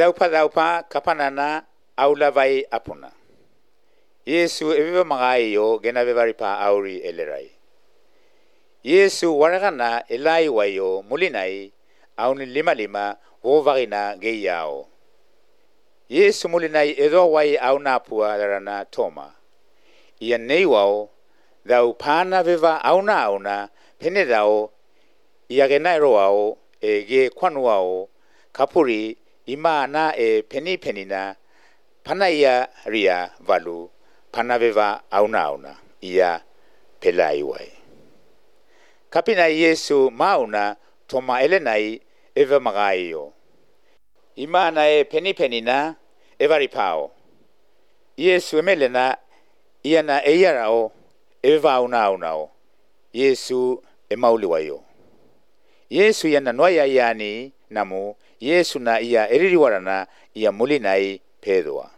daupa kapanana aulavai apuna. Yesu eviva magayo genavevaripa auri elerai. Yesu waragana elai wayo mulinai auni lima wovarina geyao. Yesu mulinai edo wai auna pua darana toma. Ia neiwao dau pana veva auna penedao ia genairoao e ge kwanuao kapuri ima na e penina panaya ria valu panaveva auna ia pelaiwai. Kapina Yesu mauna toma elenai eva magaio. Ima na e penina evaripao. Yesu emelena iana eyarao eva aunao. Yesu emauliwayo. Yesu iana noya yani namu Yesu na ia eririwarana ia mulinai pedua.